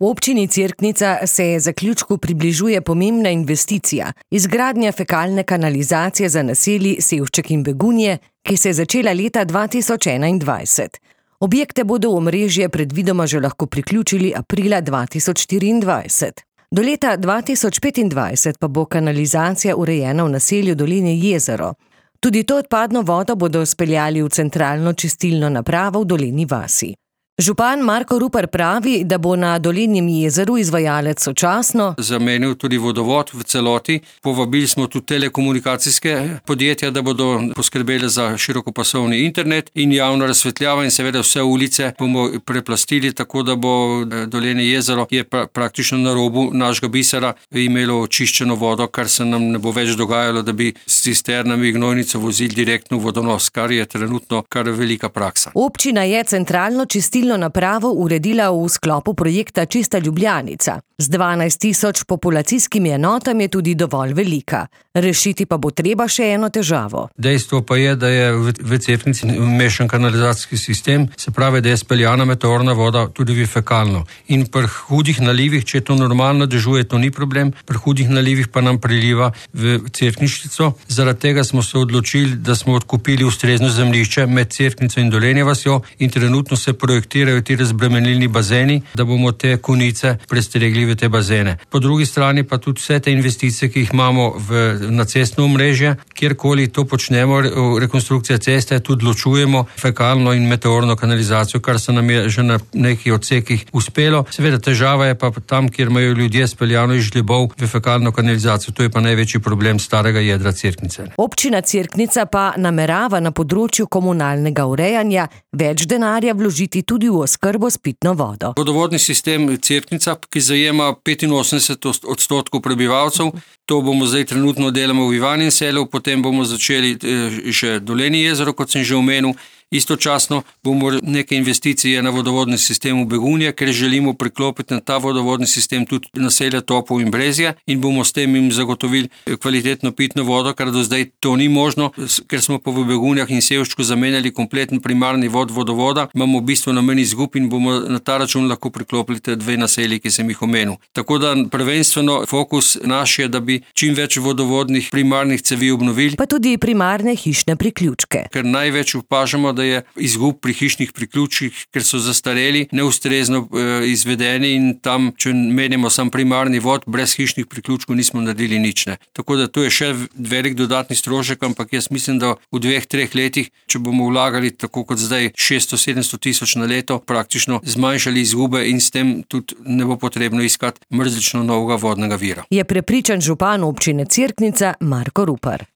V občini Cerknica se zaključku približuje pomembna investicija, izgradnja fekalne kanalizacije za naselji Sevšček in Begunje, ki se je začela leta 2021. Objekte bodo v omrežje predvidoma že lahko priključili aprila 2024. Do leta 2025 pa bo kanalizacija urejena v naselju Dolenje jezero. Tudi to odpadno vodo bodo speljali v centralno čistilno napravo v Dolenji vasi. Župan Marko Rupar pravi, da bo na Dolenjem jezeru izvajalec sočasno zamenil tudi vodovod v celoti. Povabili smo tudi telekomunikacijske podjetja, da bodo poskrbeli za širokopasovni internet in javno razsvetljavo in seveda vse ulice bomo preplastili, tako da bo Dolenje jezero je praktično na robu našega bisera imelo očiščeno vodo, kar se nam ne bo več dogajalo, da bi s cisternami gnojnico vozili direktno v vodonos, kar je trenutno kar velika praksa. Občina je centralno čistilno napravo uredila v sklopu projekta Čista Ljubljanica. Z 12.000 populacijskimi enotami je tudi dovolj velika. Rešiti pa bo treba še eno težavo. Dejstvo pa je, da je v Cerknici mešan kanalizacijski sistem, se pravi, da je speljana meteorna voda tudi v fekalno. In pri hudih nalivih, če to normalno dežuje, to ni problem, pri hudih nalivih pa nam priliva v Cerkniščico. Zaradi tega smo se odločili, da smo odkupili ustrezno zemljišče med Cerknico in Dolenje vasjo in trenutno se projektirajo ti razbremenilni bazeni, da bomo te konice prestregli v te bazene. Po drugi strani pa tudi vse te investicije, ki jih imamo na cestno omrežje, kjerkoli to počnemo, rekonstrukcija ceste, tudi ločujemo fekalno in meteorno kanalizacijo, kar se nam je že na nekih odsekih uspelo. Seveda težava je pa tam, kjer imajo ljudje speljano iz žlebov v fekalno kanalizacijo. To je pa največji problem starega jedra Cerknice. Občina Cerknica pa namerava na področju komunalnega urejanja več denarja vložiti tudi v oskrbo s pitno vodo. Vodovodni sistem Cerknica, ki zajema 85% prebivalcev, to bomo zdaj trenutno delamo v Ivanjem Selu, potem bomo začeli še Dolenje jezero, kot sem že omenil. Istočasno bomo neke investicije na vodovodni sistem v Begunje, ker želimo priklopiti na ta vodovodni sistem tudi naselja Topov in Brezje in bomo s tem jim zagotovili kvalitetno pitno vodo, kar do zdaj to ni možno, ker smo pa v Begunjah in Sevščku zamenjali kompleten primarni vod vodovoda, imamo bistveno manj izgub in bomo na ta račun lahko priklopili te dve naselji, ki sem jih omenil. Tako da prvenstveno fokus naš je, da bi čim več vodovodnih primarnih cevi obnovili. Pa tudi primarne hišne priključke. Ker največ opažamo, da je izgub pri hišnih priključkih, ker so zastareli, neustrezno izvedeni in tam, če menimo sam primarni vod, brez hišnih priključkov nismo naredili nič. Tako da to je še velik dodatni strošek, ampak jaz mislim, da v 2-3 letih, če bomo vlagali tako kot zdaj 600-700 tisoč na leto, praktično zmanjšali izgube in s tem tudi ne bo potrebno iskati mrzlično novega vodnega vira. Je prepričan župan občine Cerknica Marko Rupar.